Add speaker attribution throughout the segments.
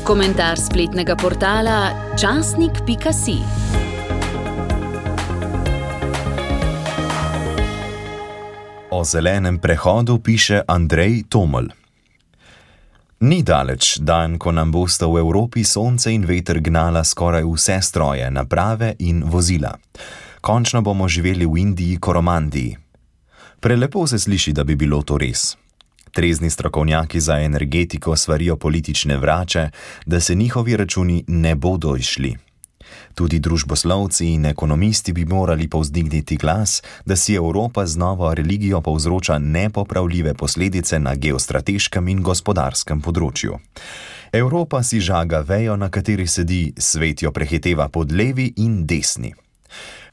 Speaker 1: Komentar spletnega portala časnik.si.
Speaker 2: O zelenem prehodu piše Andrej Tomelj. Ni daleč dan, ko nam bosta v Evropi sonce in veter gnala skoraj vse stroje, naprave in vozila. Končno bomo živeli v Indiji, Koromandiji. Prelepo se sliši, da bi bilo to res. Trezni strokovnjaki za energetiko svarijo politične vrače, da se njihovi računi ne bodo izšli. Tudi družboslovci in ekonomisti bi morali povzdigniti glas, da si Evropa z novo religijo povzroča nepopravljive posledice na geostrateškem in gospodarskem področju. Evropa si žaga vejo, na kateri sedi, svet jo prehiteva pod levi in desni.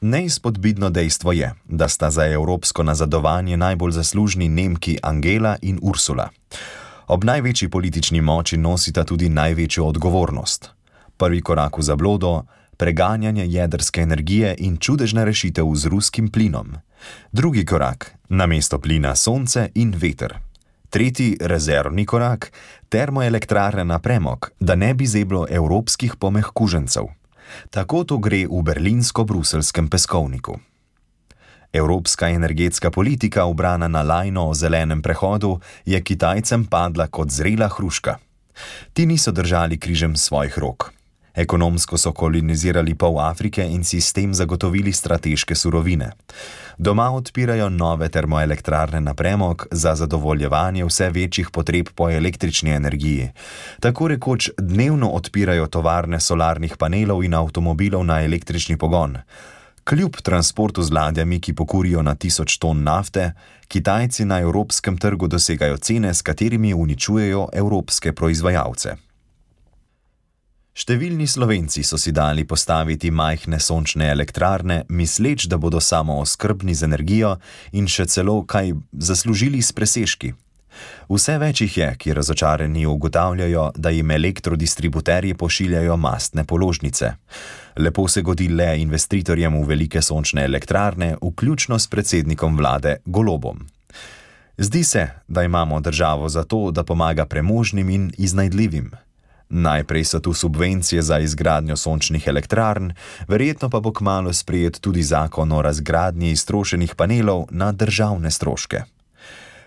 Speaker 2: Neizpodbitno dejstvo je, da sta za evropsko nazadovanje najbolj zaslužni Nemki Angela in Ursula. Ob največji politični moči nosita tudi največjo odgovornost. Prvi korak v zablodo, preganjanje jedrske energije in čudežna rešitev z ruskim plinom. Drugi korak, namesto plina sonce in veter. Tretji, rezervni korak, termoelektrarne na premog, da ne bi zeblo evropskih pomehkužencev. Tako to gre v berlinsko-bruseljskem peskovniku. Evropska energetska politika, ubrana na lajno o zelenem prehodu, je Kitajcem padla kot zrela hruška. Ti niso držali križem svojih rok. Ekonomsko so kolonizirali pol Afrike in si s tem zagotovili strateške surovine. Doma odpirajo nove termoelektrarne na premog za zadovoljevanje vse večjih potreb po električni energiji. Tako rekoč dnevno odpirajo tovarne solarnih panelov in avtomobilov na električni pogon. Kljub transportu z ladjami, ki pokurijo na 1000 ton nafte, Kitajci na evropskem trgu dosegajo cene, s katerimi uničujejo evropske proizvajalce. Številni Slovenci so si dali postaviti majhne sončne elektrarne, misleč, da bodo samooskrbni z energijo in še celo kaj zaslužili s presežki. Vse več jih je, ki razočarani ugotavljajo, da jim elektrodistributerji pošiljajo mastne položnice. Lepo se godi le investitorjem v velike sončne elektrarne, vključno s predsednikom vlade Golobom. Zdi se, da imamo državo za to, da pomaga premožnim in iznajdljivim. Najprej so tu subvencije za izgradnjo sončnih elektrarn, verjetno pa bo kmalu sprejet tudi zakon o razgradnji iztrošenih panelov na državne stroške.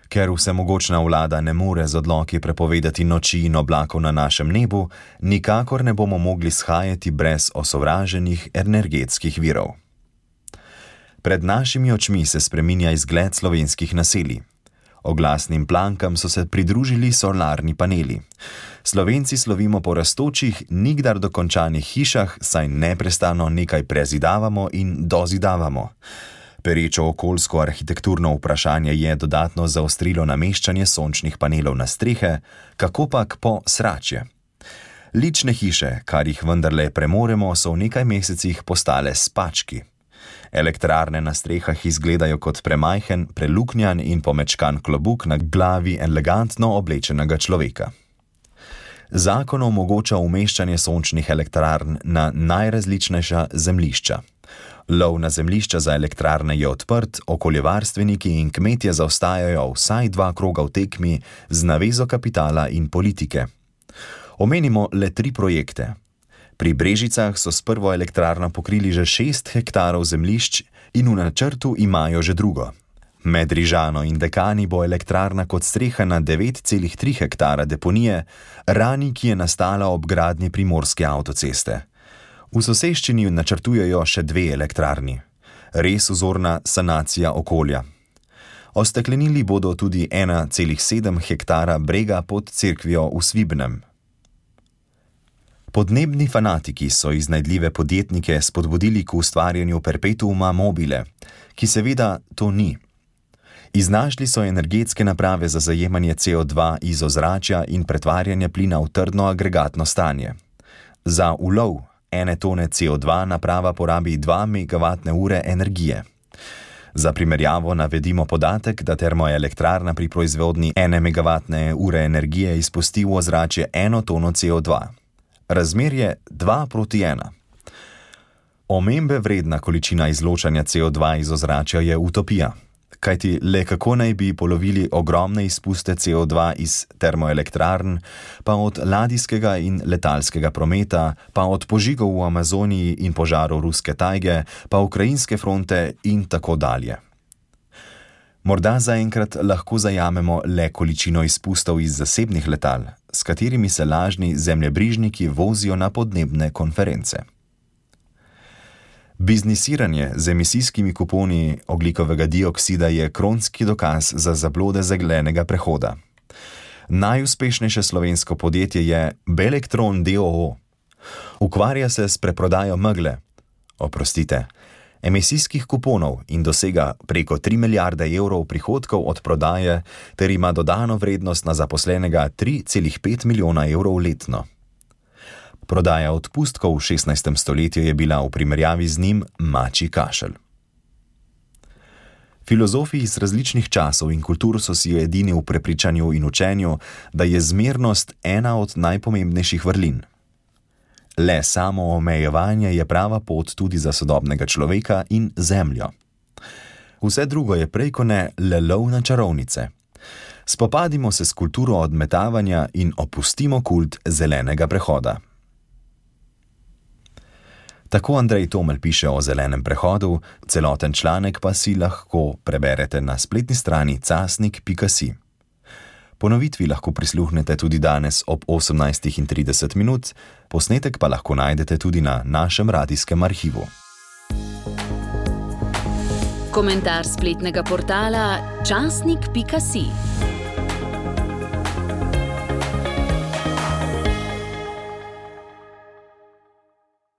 Speaker 2: Ker vsemogočna vlada ne more z odloki prepovedati noči in oblakov na našem nebu, nikakor ne bomo mogli shajati brez osovraženih energetskih virov. Pred našimi očmi se spreminja izgled slovenskih naselij. Oglasnim plankam so se pridružili solarni paneli. Slovenci slovimo po rastočih, nikdar dokončanih hišah, saj neprestano nekaj prezidavamo in dozidavamo. Perečo okoljsko arhitekturno vprašanje je dodatno zaostrilo nameščanje sončnih panelov na strehe, kakopak po sračje. Lične hiše, kar jih vendarle premoremo, so v nekaj mesecih postale spački. Elektrarne na strehah izgledajo kot premajhen, preluknjan in pomečkan klobuk na glavi elegantno oblečenega človeka. Zakon omogoča umeščanje sončnih elektrarn na najrazličnejša zemljišča. Lov na zemljišča za elektrarne je odprt, okoljevarstveniki in kmetje zaostajajo vsaj 2 kroga v tekmi z navezo kapitala in politike. Omenimo le 3 projekte. Pri Brežicah so s prvo elektrarno pokrili že 6 hektarov zemljišč in v načrtu imajo že drugo. Med Rižano in Dekani bo elektrarna kot streha na 9,3 hektara deponije, rani, ki je nastala ob gradnji primorske avtoceste. V soseščini načrtujejo še 2 elektrarni. Res vzorna sanacija okolja. Osteklenili bodo tudi 1,7 hektara brega pod cerkvijo v Svibnem. Podnebni fanatiki so iznajdljive podjetnike spodbudili k ustvarjanju perpetuuma mobile, ki seveda to ni. Iznašli so energetske naprave za zajemanje CO2 iz ozračja in pretvarjanje plina v trdno agregatno stanje. Za ulov 1 tone CO2 naprava porabi 2 MWh energije. Za primerjavo navedimo podatek, da termoelektrarna pri proizvodnji 1 MWh energije izpusti v ozračje 1 tono CO2. Razmerje 2:1. Omembe vredna količina izločanja CO2 iz ozračja je utopija. Kajti le kako naj bi polovili ogromne izpuste CO2 iz termoelektrarn, pa od ladijskega in letalskega prometa, pa od požigov v Amazoniji in požarov ruske tajge, pa ukrajinske fronte in tako dalje. Morda zaenkrat lahko zajamemo le količino izpustov iz zasebnih letal, s katerimi se lažni zemljebrižniki vozijo na podnebne konference. Biznisiranje z emisijskimi kuponi ogljikovega dioksida je kronski dokaz za zablode zelenega prehoda. Najuspešnejše slovensko podjetje je Belektron d.o.o. Ukvarja se s preprodajo emisijskih kuponov in dosega preko 3 milijarde evrov prihodkov od prodaje ter ima dodano vrednost na zaposlenega 3,5 milijona evrov letno. Prodaja odpustkov v 16. stoletju je bila v primerjavi z njim mačji kašelj. Filozofi iz različnih časov in kultur so si edini v prepričanju in učenju, da je zmernost ena od najpomembnejših vrlin. Le samo omejevanje je prava pot tudi za sodobnega človeka in zemljo. Vse drugo je prej kot ne le lov na čarovnice. Spopadimo se s kulturo odmetavanja in opustimo kult zelenega prehoda. Tako Andrej Tomelj piše o zelenem prehodu, celoten članek pa si lahko preberete na spletni strani casnik.si. Ponovitvi lahko prisluhnete tudi danes ob 18:30, posnetek pa lahko najdete tudi na našem radijskem arhivu.
Speaker 1: Komentar spletnega portala časnik.si.